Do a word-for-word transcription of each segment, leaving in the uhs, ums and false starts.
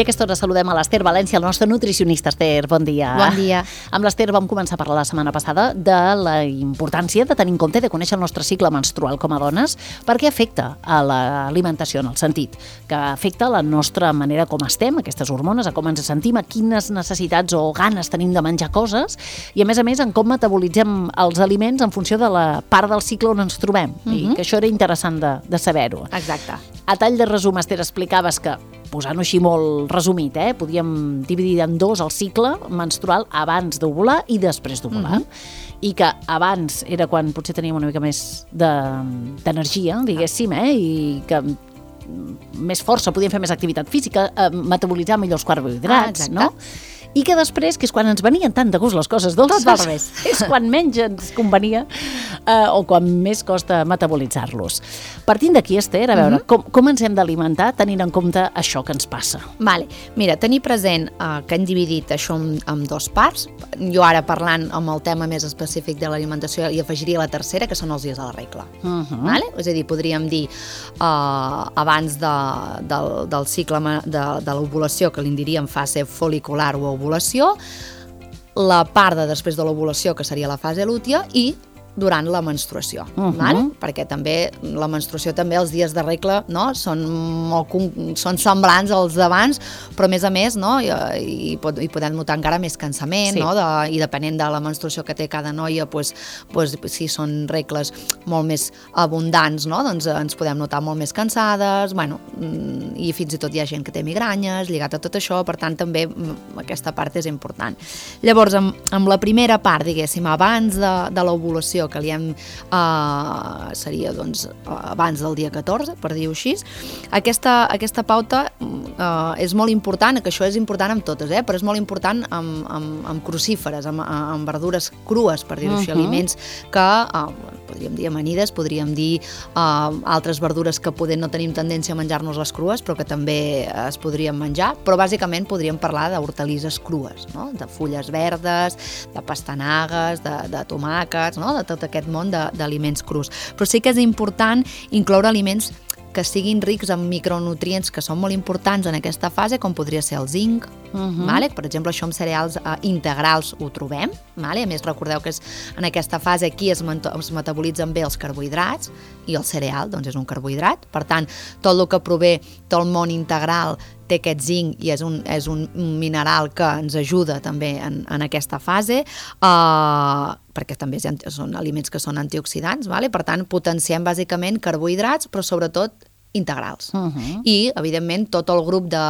I a aquesta hora saludem a l'Ester València, el nostre nutricionista. Esther, bon dia. Bon dia. Amb l'Ester vam començar a parlar la setmana passada de la importància de tenir en compte, de conèixer el nostre cicle menstrual com a dones, perquè afecta a l'alimentació, en el sentit que afecta la nostra manera com estem, aquestes hormones, a com ens sentim, a quines necessitats o ganes tenim de menjar coses, i a més a més en com metabolitzem els aliments en funció de la part del cicle on ens trobem. Uh-huh. I que això era interessant de, de saber-ho. Exacte. A tall de resum, Esther, explicaves que, posant-ho així molt resumit, eh, podíem dividir en dos el cicle menstrual abans d'ovular i després d'ovular. Uh-huh. I que abans era quan potser teníem una mica més d'energia, de, diguéssim, eh, i que més força, podíem fer més activitat física, eh, metabolitzar millor els carbohidrats, ah, no? I que després, que és quan ens venien tant de gust les coses dolces, tot al revés. És quan menys ens convenia eh, o quan més costa metabolitzar-los. Partint d'aquí, Esther, a veure, mm-hmm. com, com ens hem d'alimentar tenint en compte això que ens passa? Vale. Mira, tenir present eh, que hem dividit això en, en dos parts. Jo ara parlant amb el tema més específic de l'alimentació hi afegiria la tercera, que són els dies de la regla. Mm-hmm. Vale? És a dir, podríem dir eh, abans de, del, del cicle de, de l'ovulació, que li diríem fase fol·licular o ovulació, la part de després de l'ovulació, que seria la fase lútea, i durant la menstruació, uh-huh. vale? Perquè també la menstruació, també els dies de regla, no? són, molt, són semblants als d'abans, però a més a més, no? I, i, i podem notar encara més cansament, sí. no? de, i depenent de la menstruació que té cada noia, pues, pues, si són regles molt més abundants, no? Doncs ens podem notar molt més cansades, bueno, i fins i tot hi ha gent que té migranyes lligat a tot això, per tant també aquesta part és important. Llavors, amb, amb la primera part, diguéssim, abans de, de l'ovulació, que li hem, eh, seria doncs, abans del dia catorze, per dir-ho així, aquesta, aquesta pauta eh, és molt important, que això és important amb totes, eh, però és molt important amb, amb, amb crucíferes, amb, amb verdures crues, per dir-ho uh-huh. així, aliments que, eh, podríem dir amanides, podríem dir eh, altres verdures que poder no tenim tendència a menjar-nos les crues, però que també es podrien menjar, però bàsicament podríem parlar d'hortalisses crues, no? De fulles verdes, de pastanagues, de, de tomàquets, no? De tot aquest món d'aliments crus. Però sí que és important incloure aliments que siguin rics en micronutrients que són molt importants en aquesta fase, com podria ser el zinc, uh-huh. vale? Per exemple, això amb cereals eh, integrals ho trobem, vale? A més recordeu que és, en aquesta fase aquí es, es metabolitzen bé els carbohidrats i el cereal doncs és un carbohidrat, per tant, tot el que prové del món integral té aquest zinc i és un, és un mineral que ens ajuda també en, en aquesta fase, eh, perquè també són aliments que són antioxidants, vale? Per tant, potenciem bàsicament carbohidrats, però sobretot integrals. Uh-huh. I, evidentment, tot el grup de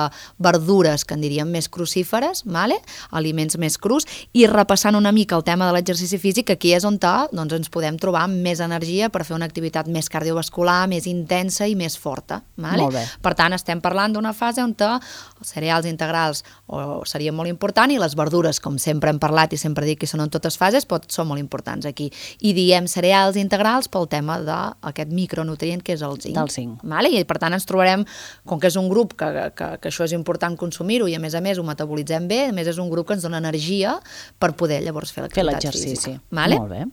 verdures que en diríem més crucíferes, vale? Aliments més crus, i repassant una mica el tema de l'exercici físic, aquí és on doncs, ens podem trobar amb més energia per fer una activitat més cardiovascular, més intensa i més forta. Vale? Molt bé. Per tant, estem parlant d'una fase on els cereals integrals o, serien molt importants i les verdures, com sempre hem parlat i sempre dic que són en totes fases, pot, són molt importants aquí. I diem cereals integrals pel tema d'aquest micronutrient que és el zinc. Del zinc. Vale? I per tant ens trobarem, com que és un grup que, que, que això és important consumir-ho i a més a més ho metabolitzem bé, a més és un grup que ens dona energia per poder llavors fer l'activitat física. Vale? Molt bé.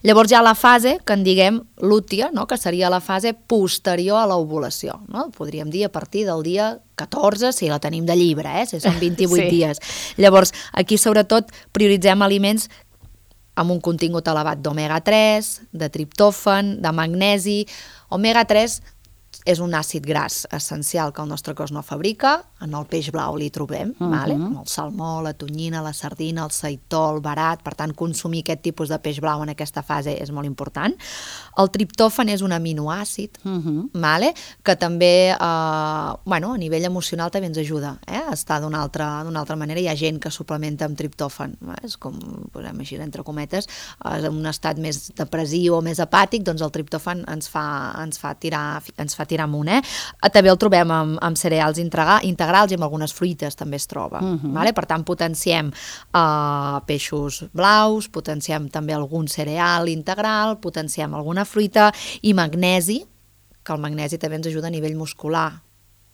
Llavors hi ha la fase que en diguem lútea, no? Que seria la fase posterior a l'ovulació, no? Podríem dir a partir del dia catorze, si la tenim de llibre, eh? Si són vint-i-vuit sí. dies. Llavors aquí sobretot prioritzem aliments amb un contingut elevat d'omega tres, de triptòfan, de magnesi. Omega tres és un àcid gras essencial que el nostre cos no fabrica, en el peix blau li trobem, uh-huh. vale? El salmó, la tonyina, la sardina, el seitó, el verat, per tant consumir aquest tipus de peix blau en aquesta fase és molt important. El triptòfan és un aminoàcid, uh-huh. vale? Que també eh, bueno, a nivell emocional també ens ajuda eh? a estar d'una altra, d'una altra manera. Hi ha gent que suplementa amb triptòfan, eh? És com, posem així entre cometes, en un estat més depressiu o més apàtic, doncs el triptòfan ens fa, ens fa tirar, ens fa tirar amunt, eh? També el trobem amb, amb cereals integrals i amb algunes fruites també es troba. Uh-huh. Vale? Per tant, potenciem uh, peixos blaus, potenciem també algun cereal integral, potenciem alguna fruita i magnesi, que el magnesi també ens ajuda a nivell muscular.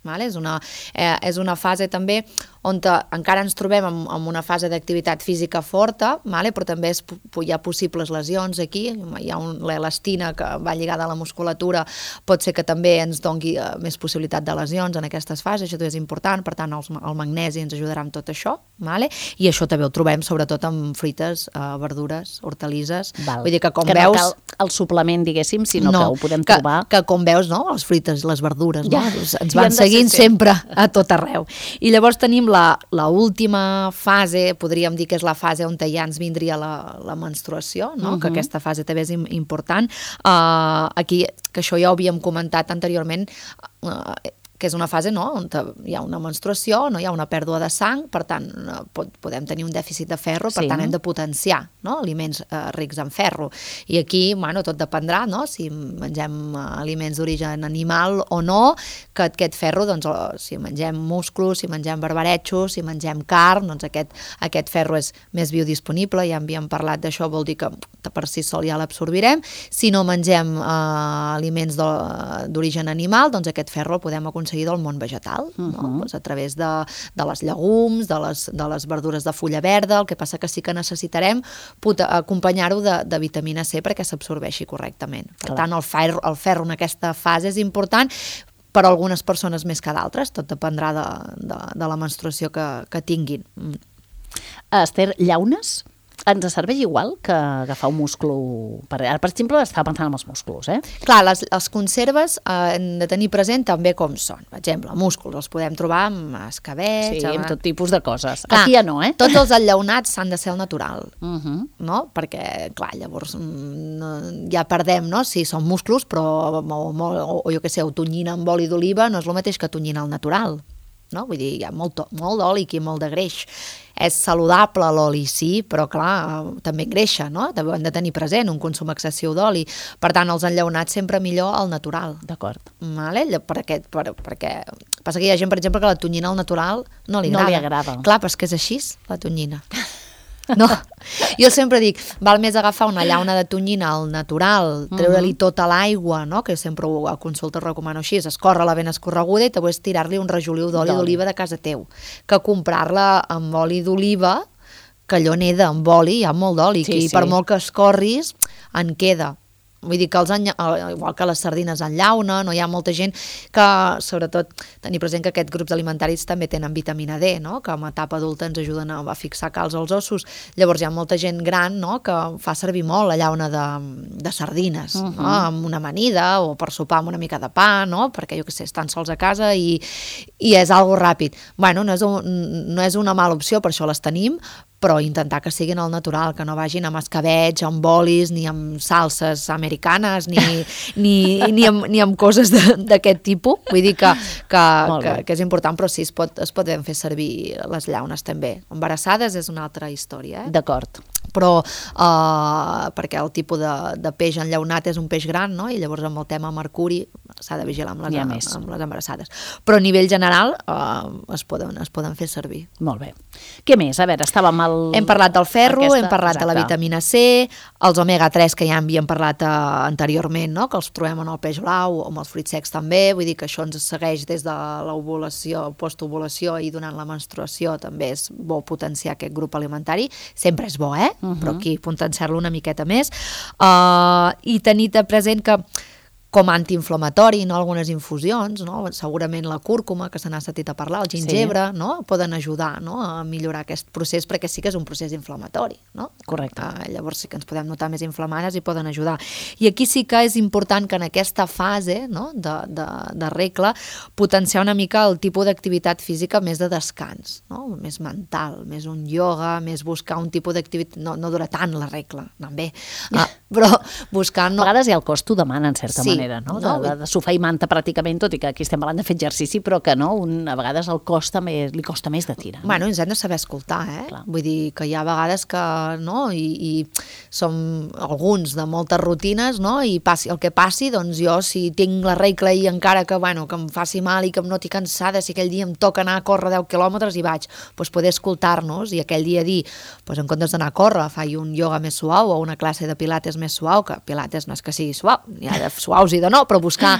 Vale? És, una, eh, és una fase també on encara ens trobem en, en una fase d'activitat física forta, vale? Però també és, hi ha possibles lesions aquí, hi ha l'elastina que va lligada a la musculatura, pot ser que també ens doni uh, més possibilitat de lesions en aquestes fases, això és important, per tant els, el magnesi ens ajudarà amb tot això, vale? I això també ho trobem sobretot amb fruites, uh, verdures, hortalisses, Val. Vull dir que com que veus... no cal el suplement, diguéssim, sinó no, que ho podem que, trobar... que com veus, no? Les fruites, les verdures, ja, no? Ens van seguint sempre a tot arreu. I llavors tenim la, la última fase, podríem dir que és la fase on ja ens vindria la, la menstruació, no? Uh -huh. Que aquesta fase també és important. Uh, aquí, que això ja ho havíem comentat anteriorment, uh, que és una fase, no?, on hi ha una menstruació, no hi ha una pèrdua de sang, per tant, pot, podem tenir un dèficit de ferro, per sí. tant, hem de potenciar, no?, aliments eh, rics en ferro. I aquí, bueno, tot dependrà, no?, si mengem aliments d'origen animal o no, que aquest ferro, doncs, si mengem musclos, si mengem barbaretxos, si mengem carn, doncs aquest, aquest ferro és més biodisponible, ja havíem parlat d'això, vol dir que per si sol ja l'absorbirem. Si no mengem eh, aliments d'origen animal, doncs aquest ferro el podem aconseguir del món vegetal, no? Uh-huh. Pues a través de, de les llegums, de les, de les verdures de fulla verda, el que passa que sí que necessitarem acompanyar-ho de, de vitamina C perquè s'absorbeixi correctament. Per Clar. tant, el ferro, el ferro en aquesta fase és important, per a algunes persones més que d'altres, tot dependrà de, de, de la menstruació que, que tinguin. Mm. Esther, llaunes? Ens serveix igual que agafar un musclo? Per, ara, per exemple, estava pensant en els músculs, eh? Clar, les, les conserves eh, hem de tenir present també com són. Per exemple, músculs els podem trobar amb escabets... Sí, amb, amb tot tipus de coses. Clar, aquí ja no, eh? Tots els enllaunats s'han de ser al natural, uh-huh. no? Perquè, clar, llavors no, ja perdem, no?, si són músculs, però o, o, o jo què sé, o tonyina amb oli d'oliva no és el mateix que tonyina al natural, no? Vull dir, hi ha molt, molt d'oli aquí, molt de greix. És saludable l'oli, sí, però clar, també engreixa, no? També hem de tenir present un consum excessiu d'oli. Per tant, els enllaunats sempre millor al natural. D'acord. Vale? Per aquest, per, perquè passa que hi ha gent, per exemple, que la tonyina al natural no li agrada. No li agrada. Clar, però és que és així, la tonyina. No, jo sempre dic, val més agafar una llauna de tonyina al natural, treure-li tota l'aigua, no?, que sempre ho, a consulta ho recomano així, escórrer-la ben escorreguda i després tirar-li un rajoliu d'oli d'oliva de casa teu, que comprar-la amb oli d'oliva, que allò neda amb oli, hi ha molt d'oli, sí, i sí. per molt que escorris, en queda. Vull dir que els enya... igual que les sardines en llauna, no? Hi ha molta gent que, sobretot, tenir present que aquests grups alimentaris també tenen vitamina D, no?, que en etapa adulta ens ajuden a, a fixar calç als ossos. Llavors hi ha molta gent gran, no?, que fa servir molt la llauna de, de sardines, uh-huh. no?, amb una amanida o per sopar amb una mica de pa, no?, perquè jo què sé, estan sols a casa i, i és algo ràpid. Bueno, no és, un, no és una mala opció, per això les tenim, però intentar que siguin al natural, que no vagin amb escabetx, amb bolis, ni amb salses americanes, ni, ni, ni, amb, ni amb coses d'aquest tipus. Vull dir que, que, que, que és important, però sí, es, pot, es poden fer servir les llaunes també. Embarassades és una altra història. Eh? D'acord. Però uh, perquè el tipus de, de peix enllaunat és un peix gran, no?, i llavors amb el tema mercuri s'ha de vigilar amb les, amb les embarassades. Però a nivell general uh, es, poden, es poden fer servir. Molt bé. Què més? A veure, estàvem al... Hem parlat del ferro, aquesta... hem parlat Exacte. de la vitamina C, els omega tres que ja havíem parlat uh, anteriorment, no?, que els trobem en el peix blau o en els fruits secs també, vull dir que això ens segueix des de l'ovulació, postovulació i durant la menstruació també és bo potenciar aquest grup alimentari. Sempre és bo, eh? Uh-huh. Però aquí potenciar-lo una miqueta més uh, i tenir present que com a antiinflamatori, no? Algunes infusions, no? Segurament la cúrcuma, que se n'ha sentit a parlar, el gingebre, sí. no? Poden ajudar, no?, a millorar aquest procés, perquè sí que és un procés inflamatori, no? Correcte. Uh, llavors sí que ens podem notar més inflamades i poden ajudar. I aquí sí que és important que en aquesta fase, no?, de, de, de regla, potenciar una mica el tipus d'activitat física més de descans, no?, més mental, més un ioga, més buscar un tipus d'activitat... No, no dura tant la regla, també, uh, però buscar... No... A vegades ja el cos t'ho demana, en certa sí. manera. No? De, de, de sofà i manta pràcticament, tot i que aquí estem parlant de fer exercici, però que no, un, a vegades el cos també li costa més de tirar. No? Bueno, ens hem de saber escoltar, eh? Clar. Vull dir que hi ha vegades que, no, i, i som alguns de moltes rutines, no, i passi el que passi, doncs jo si tinc la regla i encara que, bueno, que em faci mal i que em noti cansada, si aquell dia em toca anar a córrer deu quilòmetres i vaig, doncs poder escoltar-nos i aquell dia dir, doncs en comptes d'anar a córrer, faig un ioga més suau o una classe de pilates més suau, que pilates no és que sigui suau, n'hi ha de suaus i de no, però buscar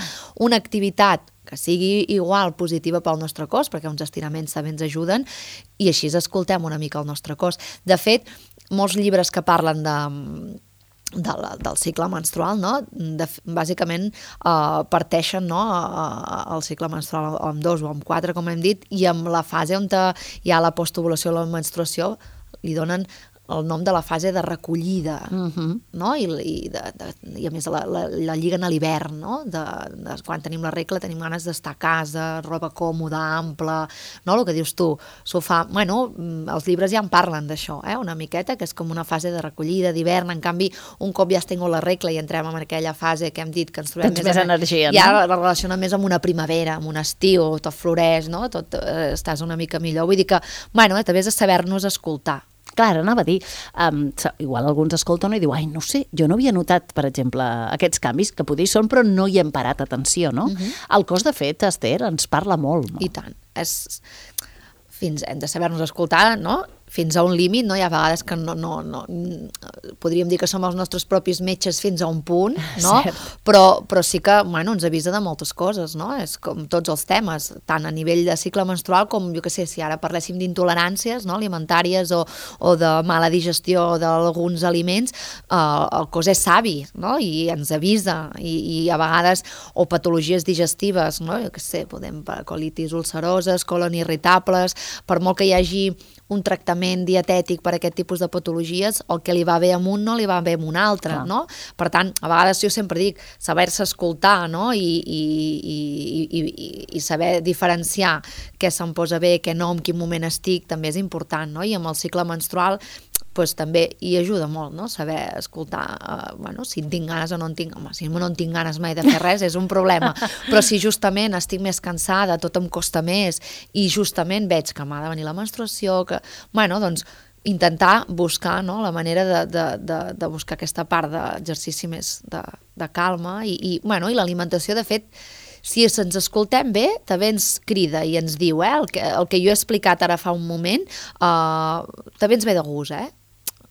una activitat que sigui igual positiva pel nostre cos, perquè uns estiraments també ens ajuden, i així escoltem una mica el nostre cos. De fet, molts llibres que parlen de, de la, del cicle menstrual, no? De, bàsicament eh, parteixen, no? el cicle menstrual amb dos o amb quatre, com hem dit, i amb la fase on hi ha la postovulació o la menstruació li donen el nom de la fase de recollida, uh-huh. no? I, i, de, de, i a més la, la, la lliguen a l'hivern, no? De, de, quan tenim la regla tenim ganes d'estar a casa, roba còmoda, ampla, no? El que dius tu, sofà, bueno, els llibres ja en parlen d'això, eh? Una miqueta, que és com una fase de recollida d'hivern, en canvi, un cop ja has tingut la regla i entrem en aquella fase que hem dit que ens trobem més, més energia, ja no? la relaciona més amb una primavera, amb un estiu, tot floreix, no? Tot eh, estàs una mica millor, vull dir que, bueno, eh, també és de saber-nos escoltar. Clar, anava a dir, um, igual alguns escolten i diu, ai, no sé, jo no havia notat, per exemple, aquests canvis, que potser hi són, però no hi hem parat atenció, no? Uh-huh. El cos, de fet, Esther, ens parla molt. No? I tant. És... Fins, hem de saber-nos escoltar, no? Fins a un límit, no? Hi ha vegades que no, no, no, podríem dir que som els nostres propis metges fins a un punt, no? Però, però sí que, bueno, ens avisa de moltes coses, no? És com tots els temes, tant a nivell de cicle menstrual com, jo què sé, si ara parléssim d'intoleràncies, no? Alimentàries o, o de mala digestió d'alguns aliments, eh, el cos és savi, no? I ens avisa, i, i a vegades, o patologies digestives, no? Jo què sé, podem, colitis ulceroses, colon irritables, per molt que hi hagi un tractament dietètic per a aquest tipus de patologies, el que li va bé amb un no li va bé amb un altre, clar. No? Per tant, a vegades jo sempre dic, saber-se escoltar, no? I, i, i, i, i saber diferenciar què se'm posa bé, què no, en quin moment estic, també és important, no? I amb el cicle menstrual pues, també hi ajuda molt, no? Saber escoltar, uh, bueno, si en tinc ganes o no en tinc, home, si no en tinc ganes mai de fer res és un problema, però si justament estic més cansada, tot em costa més i justament veig que m'ha de venir la menstruació, que, bueno, doncs intentar buscar, no? La manera de, de, de, de buscar aquesta part d'exercici més de, de calma i, i, bueno, i l'alimentació, de fet, si ens escoltem bé, també ens crida i ens diu, eh, el que, el que jo he explicat ara fa un moment, eh, també ens ve de gust, eh?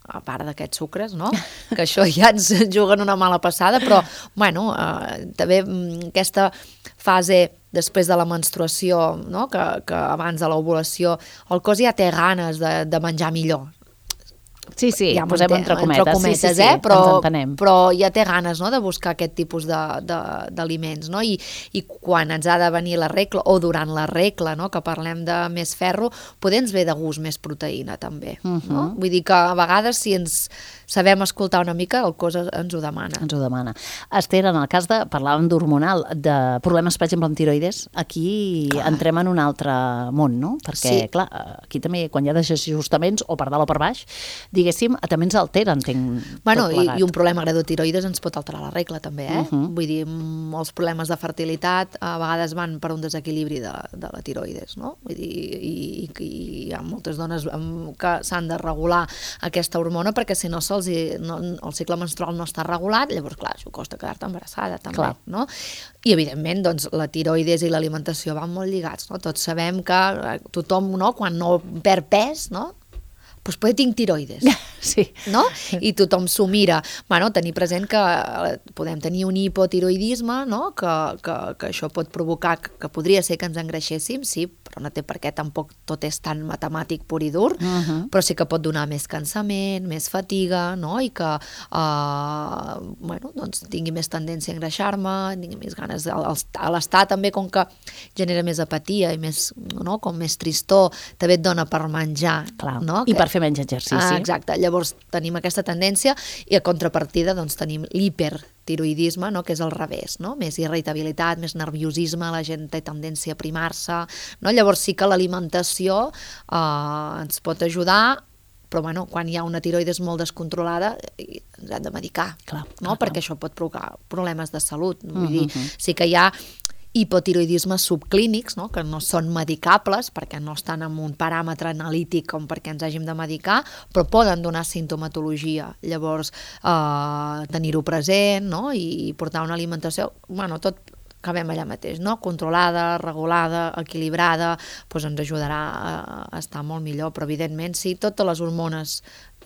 A part d'aquests sucres, no? Que això ja ens juguen una mala passada, però, bueno, eh, també aquesta fase després de la menstruació, no? que, que abans de l'ovulació, el cos ja té ganes de, de menjar millor. Sí, sí, ja posem entre cometes, entre cometes sí, sí, sí, eh? però, ens entenem. Però ja té ganes, no?, de buscar aquest tipus d'aliments, no? I, i quan ens ha de venir la regla, o durant la regla, no?, que parlem de més ferro, poder ens ve de gust més proteïna, també. Uh -huh. No? Vull dir que a vegades, si ens sabem escoltar una mica, el cos ens ho demana. Ens ho demana. Esther, en el cas de, parlàvem d'hormonal, de problemes, per exemple, amb tiroides, aquí clar. Entrem en un altre món, no? Perquè, sí. clar, aquí també, quan hi ha desajustaments, o per dalt o per baix, diguéssim, també ens altera, entenc, bueno, tot plegat. I, i un problema greu de tiroides ens pot alterar la regla, també, eh? Uh -huh. Vull dir, molts problemes de fertilitat a vegades van per un desequilibri de, de la tiroides, no? Vull dir, i, i, i hi ha moltes dones que s'han de regular aquesta hormona perquè si no, se'ls, no el cicle menstrual no està regulat, llavors, clar, això costa quedar-te embarassada, també, clar. No? I, evidentment, doncs, la tiroides i l'alimentació van molt lligats, no? Tots sabem que tothom, no?, quan no perd pes, no?, doncs potser tinc tiroides, sí. no? I tothom s'ho mira. Bueno, tenir present que podem tenir un hipotiroidisme, no?, que, que, que això pot provocar, que podria ser que ens engreixéssim, sí, però no té per què, tampoc tot és tan matemàtic pur i dur, uh -huh. però sí que pot donar més cansament, més fatiga, no?, i que uh, bueno, doncs tingui més tendència a engreixar-me, tingui més ganes, a l'estar també, com que genera més apatia i més, no?, com més tristor, també et dona per menjar, clar. No? I que... per fer menys exercici. Ah, exacte, llavors tenim aquesta tendència i a contrapartida doncs tenim l'hipertiroidisme, no?, que és al revés, no?, més irritabilitat, més nerviosisme, la gent té tendència a primar-se, no? Llavors sí que l'alimentació eh, ens pot ajudar, però bueno, quan hi ha una tiroides molt descontrolada ens hem de medicar, clar, no? clar, Perquè clar. això pot provocar problemes de salut, vull uh -huh. dir, sí que hi ha hipotiroidismes subclínics, no?, que no són medicables perquè no estan en un paràmetre analític com perquè ens hàgim de medicar, però poden donar sintomatologia. Llavors, eh, tenir-ho present, no?, i portar una alimentació, bueno, tot acabem allà mateix, no? Controlada, regulada, equilibrada, doncs ens ajudarà a estar molt millor, però evidentment sí, totes les hormones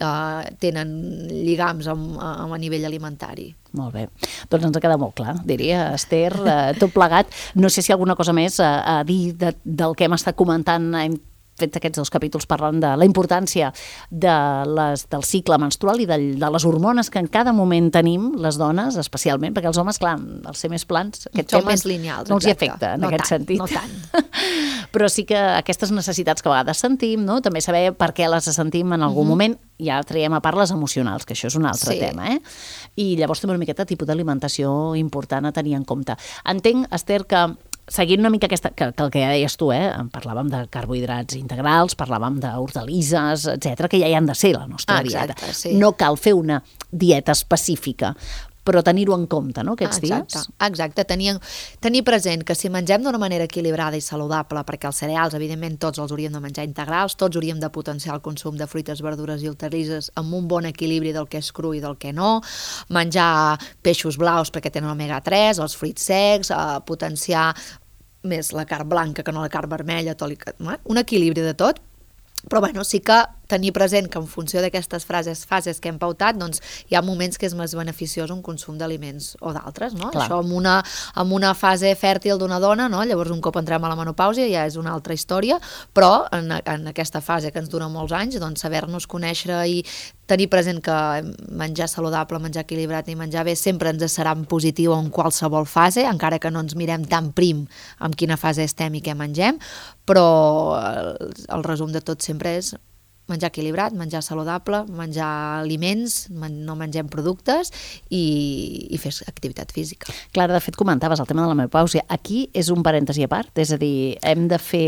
eh, tenen lligams amb, amb a nivell alimentari. Molt bé, doncs ens ha quedat molt clar, diria, Esther, eh, tot plegat. No sé si alguna cosa més a, a dir de, del que hem estat comentant, hem fet aquests dos capítols parlant de la importància de les, del cicle menstrual i de, de les hormones que en cada moment tenim, les dones especialment, perquè els homes, clar, els ser més plans, aquest Som tema més lineals, no els hi exacte. afecta en no aquest tant, sentit. No tant. Però sí que aquestes necessitats que a vegades sentim, no? També saber per què les sentim en algun mm-hmm. moment, ja traiem a part les emocionals, que això és un altre sí. tema, eh? I llavors també una miqueta tipus d'alimentació important a tenir en compte. Entenc, Esther, que seguint una mica aquesta, que, que el que ja deies tu, eh? Parlàvem de carbohidrats integrals, parlàvem d'hortalisses, etcètera, que ja hi han de ser la nostra ah, exacte, dieta. Sí. No cal fer una dieta específica, però tenir-ho en compte, no?, aquests exacte, dies. Exacte, tenir, tenir present que si mengem d'una manera equilibrada i saludable, perquè els cereals, evidentment, tots els hauríem de menjar integrals, tots hauríem de potenciar el consum de fruites, verdures i hortalisses amb un bon equilibri del que és cru i del que no, menjar peixos blaus perquè tenen omega tres, els fruits secs, eh, potenciar més la carn blanca que no la carn vermella, tot, un equilibri de tot, però bueno, sí que tenir present que en funció d'aquestes frases, fases que hem pautat, doncs hi ha moments que és més beneficiós un consum d'aliments o d'altres, no? Clar. Això en una, en una fase fèrtil d'una dona, no? Llavors un cop entrem a la menopàusia ja és una altra història, però en, en aquesta fase que ens dura molts anys, doncs saber-nos conèixer i tenir present que menjar saludable, menjar equilibrat i menjar bé sempre ens serà positiu en qualsevol fase, encara que no ens mirem tan prim en quina fase estem i què mengem, però el, el resum de tot sempre és menjar equilibrat, menjar saludable, menjar aliments, men no mengem productes i, i fer activitat física. Clara, de fet comentaves el tema de la menopàusia. Aquí és un parèntesi a part, és a dir, hem de fer...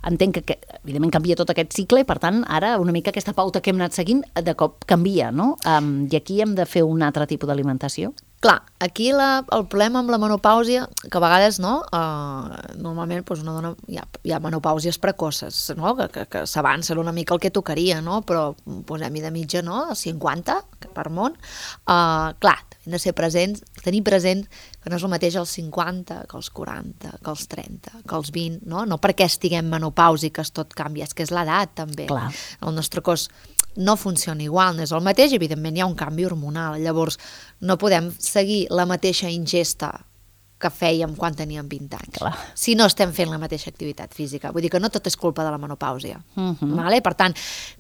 Entenc que, que, evidentment, canvia tot aquest cicle i, per tant, ara una mica aquesta pauta que hem anat seguint de cop canvia, no? Um, I aquí hem de fer un altre tipus d'alimentació? Clar, aquí la, el problema amb la menopàusia, que a vegades, no, uh, normalment doncs una dona, hi ha, hi ha menopàusies precoces, no?, que, que, que s'avancen una mica el que tocaria, no?, però posem-hi de mitja, no?, cinquanta per món. Uh, clar, hem de ser presents, tenir present que no és el mateix els cinquanta que els quaranta, que els trenta, que els vint, no? No perquè estiguem menopàusiques tot canvia, és que és l'edat també. Clar. El nostre cos no funciona igual, no és el mateix, evidentment hi ha un canvi hormonal, llavors no podem seguir la mateixa ingesta que fèiem quan teníem vint anys. Clar. Si no estem fent la mateixa activitat física. Vull dir que no tot és culpa de la menopàusia. Uh-huh. Vale? Per tant,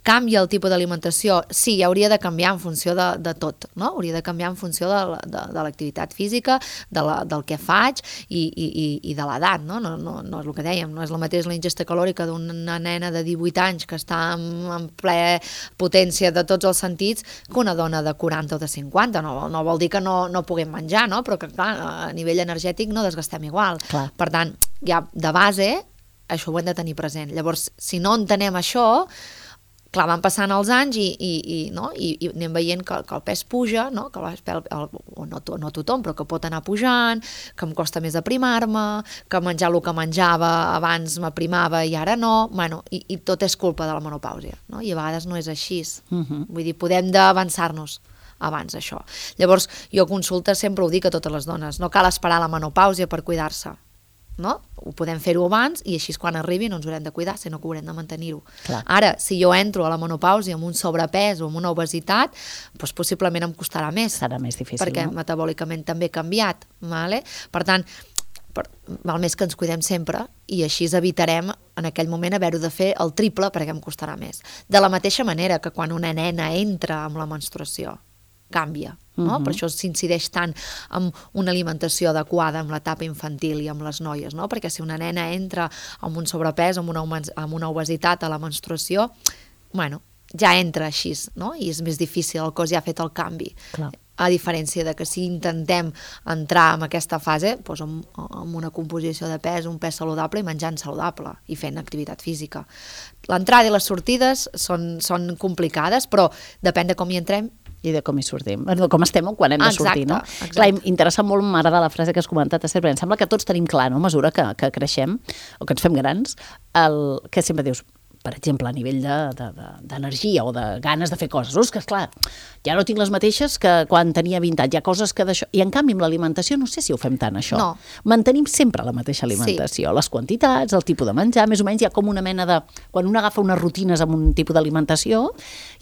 canvia el tipus d'alimentació. Sí, hauria de canviar en funció de, de tot, no? Hauria de canviar en funció de, de, de l'activitat física, de la, del que faig i, i, i de l'edat, no? No, no? No és el que dèiem, no és la mateixa la ingesta calòrica d'una nena de divuit anys que està en, en ple potència de tots els sentits que una dona de quaranta o de cinquanta. No, no vol dir que no, no puguem menjar, no? Però que, clar, a nivell energètic no desgastem igual. Clar. Per tant, ja de base, això ho hem de tenir present. Llavors, si no entenem això, clar, van passant els anys i, i, i, no? I, i anem veient que, que el pes puja, no? Que el, el, el, o no, no tothom, però que pot anar pujant, que em costa més aprimar-me, que menjar el que menjava abans m'aprimava i ara no, bueno, i, i tot és culpa de la menopàusia, no? I a vegades no és així. Uh-huh. Vull dir, podem d'avançar-nos abans això. Llavors, jo a consulta sempre ho dic a totes les dones, no cal esperar la menopàusia per cuidar-se, no? Ho podem fer-ho abans i així quan arribi no ens haurem de cuidar, sinó que haurem de mantenir-ho. Ara, si jo entro a la menopàusia amb un sobrepès o amb una obesitat, doncs possiblement em costarà més. Serà més difícil, perquè no? metabòlicament també he canviat, vale? Per tant, per, val més que ens cuidem sempre i així evitarem en aquell moment haver-ho de fer el triple perquè em costarà més. De la mateixa manera que quan una nena entra amb la menstruació, canvia, no? Uh-huh. Per això s'incideix tant en una alimentació adequada amb l'etapa infantil i amb les noies, no? Perquè si una nena entra amb un sobrepès, amb una, amb una obesitat a la menstruació, bueno, ja entra així, no? I és més difícil, el cos ja ha fet el canvi. Clar. A diferència de que si intentem entrar en aquesta fase doncs amb, amb una composició de pes, un pes saludable i menjant saludable i fent activitat física. L'entrada i les sortides són, són complicades, però depèn de com hi entrem i de com hi sortim, de com estem o quan hem de exacte, sortir, no? Exacte. Clar, m'interessa molt, m'agrada la frase que has comentat, Esther, perquè em sembla que tots tenim clar, no?, a mesura que, que creixem o que ens fem grans, el que sempre dius, per exemple, a nivell d'energia de, de, o de ganes de fer coses. És que, esclar, ja no tinc les mateixes que quan tenia vint anys. Hi ha coses que d'això... I, en canvi, amb l'alimentació no sé si ho fem tant, això. No. Mantenim sempre la mateixa alimentació. Sí. Les quantitats, el tipus de menjar, més o menys hi ha com una mena de... Quan un agafa unes rutines amb un tipus d'alimentació,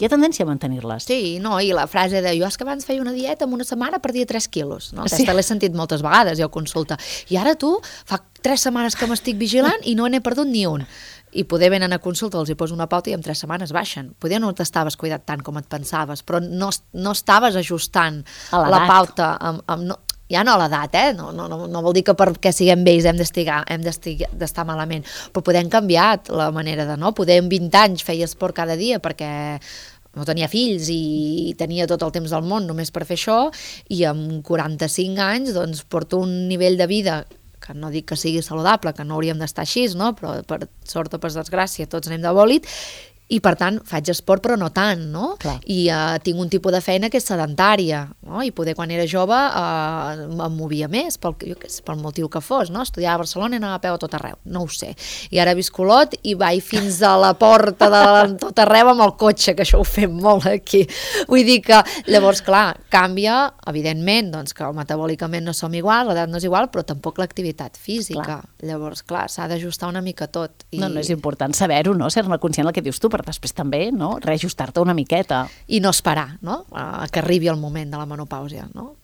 hi ha tendència a mantenir-les. Sí, no, i la frase de jo és que abans feia una dieta en una setmana perdia tres quilos. No? Sí. Aquesta l'he sentit moltes vegades, ja ho consulta. I ara tu, fa tres setmanes que m'estic vigilant i no n'he perdut ni un. I poder venen a consulta, els hi poso una pauta i en tres setmanes baixen. Poder no t'estaves cuidat tant com et pensaves, però no, no estaves ajustant la pauta amb, amb, no, ja no a l'edat, eh? No, no, no, no vol dir que perquè siguem vells hem d'estar malament, però poder hem canviat la manera de, no? Poder amb vint anys feia esport cada dia perquè no tenia fills i tenia tot el temps del món només per fer això, i amb quaranta-cinc anys doncs porto un nivell de vida que no dic que sigui saludable, que no hauríem d'estar així, no? Però per sort o per desgràcia tots anem de bòlit, i per tant faig esport però no tant, no? Clar. I uh, tinc un tipus de feina que és sedentària, no? I poder quan era jove uh, em movia més, pel, jo què sé, pel motiu que fos, no? Estudiava a Barcelona i anava a peu a tot arreu, no ho sé. I ara visc a Olot i vaig fins a la porta de tot arreu amb el cotxe, que això ho fem molt aquí. Vull dir que, llavors, clar, canvia, evidentment, doncs que metabòlicament no som igual, l'edat no és igual, però tampoc l'activitat física. Clar. Llavors, clar, s'ha d'ajustar una mica tot. I... No, no, és important saber-ho, no? Ser-ne conscient del que dius tu, però després també, no? Reajustar-te una miqueta. I no esperar, no? A que arribi el moment de la menopàusia, no?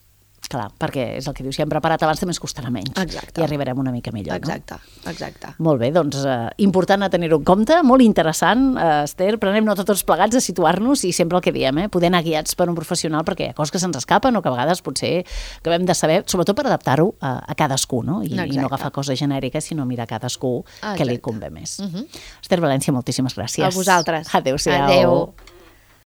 Clar, perquè és el que dius, si hem preparat abans també ens costarà menys. Exacte. I arribarem una mica millor, exacte, no? Exacte. Molt bé, doncs eh, important a tenir-ho en compte, molt interessant, eh, Esther, prenem nota tots plegats a situar-nos i sempre el que diem, eh, poder anar guiats per un professional perquè hi ha coses que se'ns escapen o que a vegades potser acabem de saber, sobretot per adaptar-ho a, a cadascú, no? I, i no agafar coses genèriques, sinó mirar a cadascú que li convé més. Uh-huh. Esther València, moltíssimes gràcies. A vosaltres. Adéu-siau. Adéu.